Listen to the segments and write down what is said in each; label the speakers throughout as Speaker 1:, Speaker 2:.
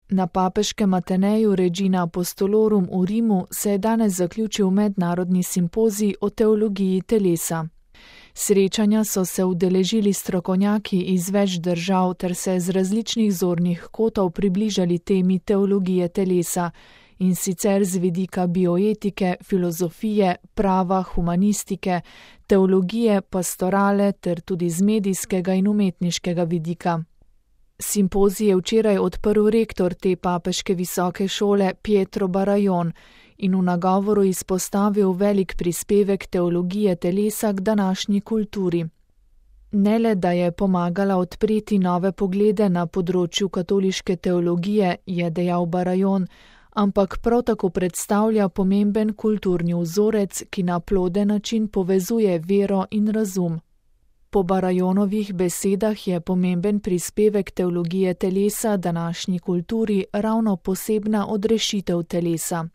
Speaker 1: Na papeškem Ateneju Regina Apostolorum v Rimu se je danes zaključil mednarodni simpozij o teologiji telesa. Srečanja so se udeležili strokovnjaki iz več držav ter se z različnih zornih kotov približali temi teologije telesa, in sicer z vidika bioetike, filozofije, prava, humanistike, teologije, pastorale ter tudi z medijskega in umetniškega vidika. Simpozij je včeraj odprl rektor te papeške visoke šole Pietro Barajon in v nagovoru izpostavil velik prispevek teologije telesa k današnji kulturi. Ne le, da je pomagala odpreti nove poglede na področju katoliške teologije, je dejal Barajon, ampak prav tako predstavlja pomemben kulturni vzorec, ki na ploden način povezuje vero in razum. Po Barajonovih besedah je pomemben prispevek teologije telesa današnji kulturi ravno posebna odrešitev telesa.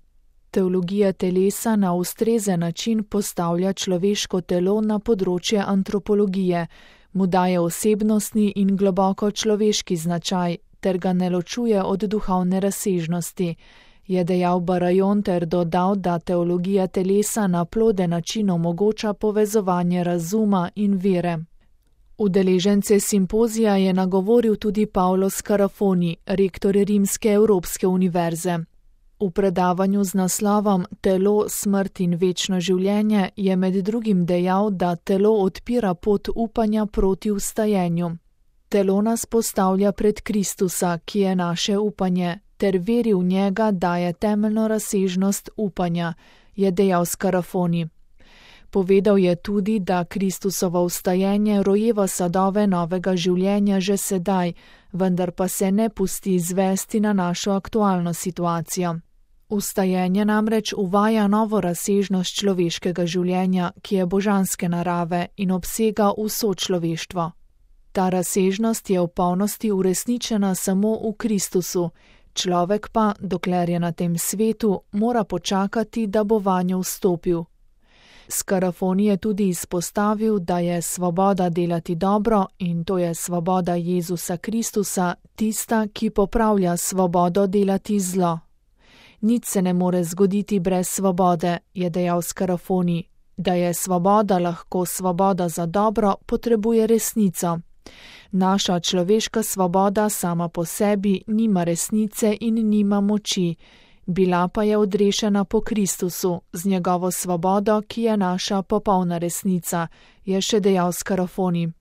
Speaker 1: Teologija telesa na ustrezen način postavlja človeško telo na področje antropologije, mu daje osebnostni in globoko človeški značaj ter ga ne ločuje od duhovne razsežnosti, je dejal Barajon ter dodal, da teologija telesa na ploden način omogoča povezovanje razuma in vere. Udeležence simpozija je nagovoril tudi Paolo Scarafoni, rektor Rimske Evropske univerze. V predavanju z naslovom Telo, smrt in večno življenje je med drugim dejal, da telo odpira pot upanja proti vstajenju. Telo nas postavlja pred Kristusa, ki je naše upanje, ter veri v njega daje temeljno razsežnost upanja, je dejal Scarafoni. Povedal je tudi, da Kristusovo vstajenje rojeva sadove novega življenja že sedaj, vendar pa se ne pusti izvesti na našo aktualno situacijo. Vstajenje namreč uvaja novo razsežnost človeškega življenja, ki je božanske narave in obsega vso človeštvo. Ta razsežnost je v polnosti uresničena samo v Kristusu, človek pa, dokler je na tem svetu, mora počakati, da bo vanjo vstopil. Scarafoni je tudi izpostavil, da je svoboda delati dobro, in to je svoboda Jezusa Kristusa, tista, ki popravlja svobodo delati zlo. Nič se ne more zgoditi brez svobode, je dejal Scarafoni. Da je svoboda lahko svoboda za dobro, potrebuje resnico. Naša človeška svoboda sama po sebi nima resnice in nima moči, bila pa je odrešena po Kristusu, z njegovo svobodo, ki je naša popolna resnica, je še dejal Scarafoni.